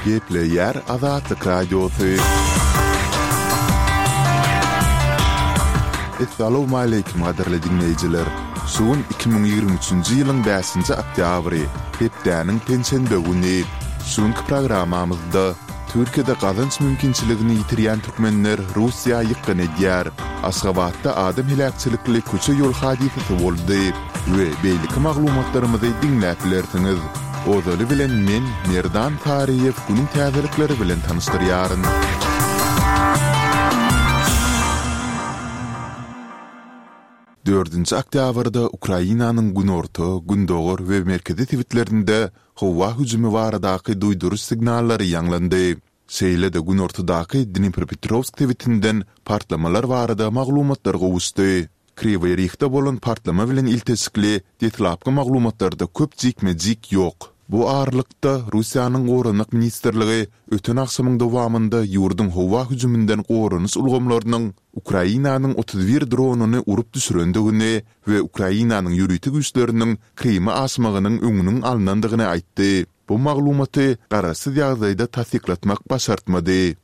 Gepleýär Azatlyk Radiosy. Essalawmaleýkim gadyrly diňleýjiler! Şu gün 2023-nji ýylyň bäşinji oktýabry, hepdäniň penşenbe güni. Şu günki programmamyzda Türkiýede gazanç mümkinçiligini ýitirýän türkmenler Russiýa ýykgyn edýär. Aşgabatda adam heläkçilikli köçe-ýol hadysasy boldy we beýleki maglumatlarymyzy diňläp bilersiňiz. Ozaly bilen men, Merdan Saryýew günüň täzelikleri bilen tanyşdyrýaryn. Dördünji oktýabrda Ukrainanyň günorta, gündogar we merkezi sebitlerinde howa hüjümi baradaky duýduryş signallary ýaňlandy. Şeýle-de günortadaky Dnipropetrowsk sebitinden partlamalar barada maglumatlar gowuşdy. Kriwoý Rihde bolan partlama bilen ilteşikli deslapky maglumatlarda köp jikme-jik ýok. Bu aralykda, Russiýanyň Goranmak ministrligi öten agşamyň dowamynda ýurduň howa hüjüminden goranyş ulgamlarynyň Ukrainanyň 31 dronyny urup düşürendigini we Ukrainanyň ýörite güýçleriniň Kryma aşmagynyň öňüniň alnandygyny aýtdy. Bu maglumaty garaşsyz ýagdaýda tassyklatmak başartmady.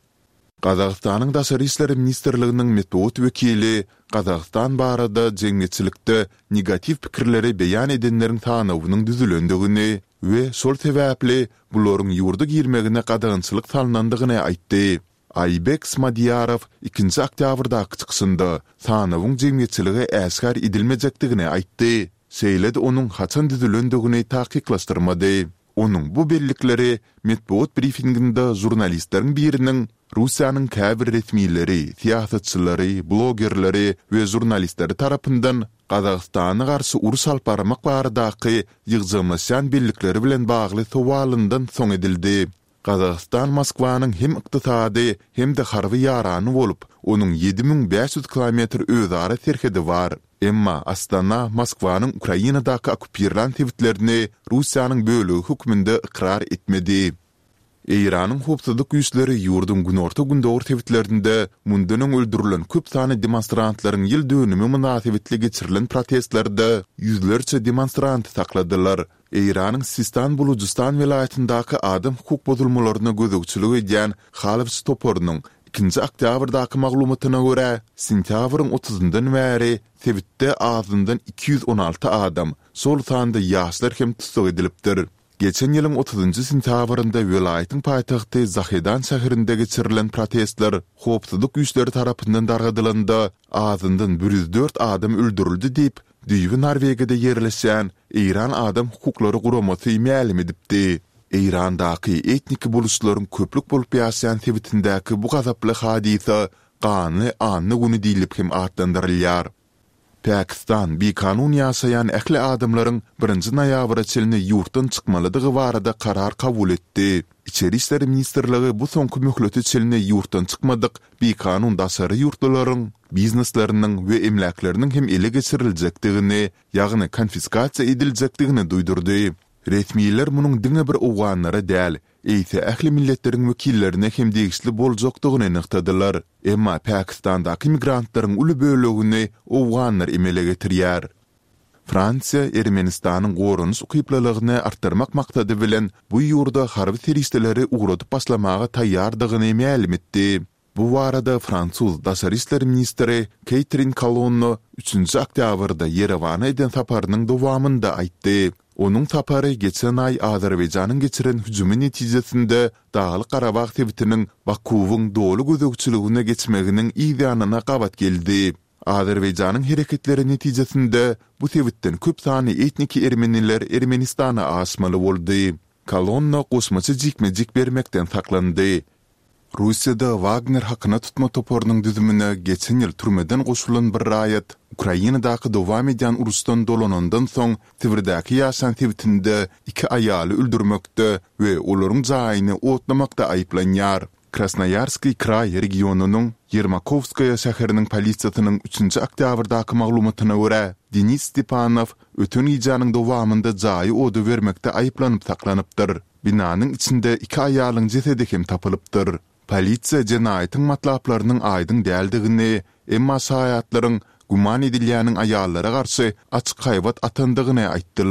Gazagystanyň Daşary işler ministrliginiň metbugat wekili Gazagystan barada jemgyýetçilikde negatiw pikirleri beýan edenleriň sanawynyň düzülendigini we şol sebäpli bularyň ýurda girmegine gadagançylyk salnandygyny aýtdy. Aýbek Smadiýarow ikinji oktýabrdaky çykyşynda sanawyň jemgyýetçilige äşgär edilmejekdigini aýtdy, şeýle-de onuň haçan düzülendigini takyklaşdyrmady. Onuň bu bellikleri metbugat brifinginde žurnalistleriň biriniň Russiýanyň käbir resmileri, syýasatçylary, blogerleri we žurnalistleri tarapyndan Gazagystana garşy uruş alyp barmak baradaky ýygjamlaşýan bellikleri bilen bagly sowalyndan soň edildi. Gazagystan Moskwanyň hem ykdysady, hem-de harby ýarany bolup, onuň 7500 kilometr özara serhedi bar. Emma Astana Moskwanyň Ukrainadaky okkupirlän sebitlerini Russiýanyň bölegi hökmünde ykrar etmedi. Eýranyň howpsuzlyk güýçleri ýurduň günorta-gündogar sebitlerinde mundan öň öldürilen köp sanly demonstrantlaryň ýyl dönümi mynasybetli geçirilen protestlerde ýüzlerçe demonstranty sakladylar. Eýranyň Sistan-Bulujystan welaýatyndaky adam hukuk bozulmalaryna gözegçilik edýän Halwç toparynyň ikinji oktýabrdaky maglumatyna görä, sentýabryň otuzyndan bäri sebitde azyndan 216 adam, şol sanda ýaşlar hem tussag edilipdir. Geçen ýylyň otuzynjy sentýabrynda welaýatyň paýtagty Zahedan şäherinde geçirilen protestler howpsuzlyk güýçleri tarapyndan dargadylanda, azyndan 104 adam öldürildi diýip, düýbi Norwegiýada ýerleşýän Eýran adam hukuklary guramasy mälim edipdi. Eýrandaky etniki buluşlaryň köplük bolup ýaşaýan sebitindäki bu gazaply hadysa Ganly anna güni diýlip hem atlandyrylýar. Pakistan bikanun ýaşaýan ähli adamlaryň birinji noýabra çenli ýurtdan çykmalydygy barada karar kabul etdi. Içeri işler ministrligi bu soňky möhlete çenli ýurtdan çykmadyk bikanun daşary ýurtlularyň biznesleriniň we emläkleriniň hem ele geçiriljekdigini ýagny konfiskasiýa ediljekdigini duýdurdy. Resmiler munuň diňe bir owganlara däl, eýse ähli milletleriň wekillerine hem degişli boljakdygyny nygtadylar. Emma Pakistandaky migrantlaryň uly bölegini owganlar emele getirýär. Fransiýa Ermenistanyň goranyş ukyplylygyny artdyrmak maksady bilen bu ýurda harby serişdeleri ugradyp başlamaga taýýardygyny mälim etdi. Bu barada fransuz daşary işler ministri Keýtrin Kolonno üçünji oktýabrda Ýerewana eden saparynyň dowamynda aýtdy. Onuň sapary geçen aý Azerbaýjanyň geçiren hüjümi netijesinde Daglyk-Garabag sebitiniň Bakuwyň doly gözegçiligine geçmeginiň yz ýanyna gabat geldi. Azerbaýjanyň hereketleri netijesinde bu sebitden köp sanly etniki ermeniler Ermenistana aşmaly boldy. Kolonno goşmaça jikme-jik bermekden saklandy. Russiýada Wagner hakyna tutma toparynyň düzümine geçen ýyl türmeden goşulan bir raýat Ukrainadaky dowam edýän uruşdan dolanandan soň Sibirdäki ýaşan sebitinde iki aýaly öldürmekde we olaryň jaýyny otlamakda aýyplanýar. Krasnoýarskiý kraý regionynyň Ýermakowskaýa şäheriniň polisiýasynyň üçünji oktýabrdaky maglumatyna görä, Denis Stepanow öten gijäniň dowamynda jaýy oda bermekde aýyplanyp saklanypdyr. Binanyň içinde iki aýalyň jesedi hem tapylypdyr. Polisiýa jenaýatyň matlaplarynyň aýdyň däldigini, emma şaýatlaryň güman edilýäniň aýallara garşy açyk haýbat atandygyny aýtdylar.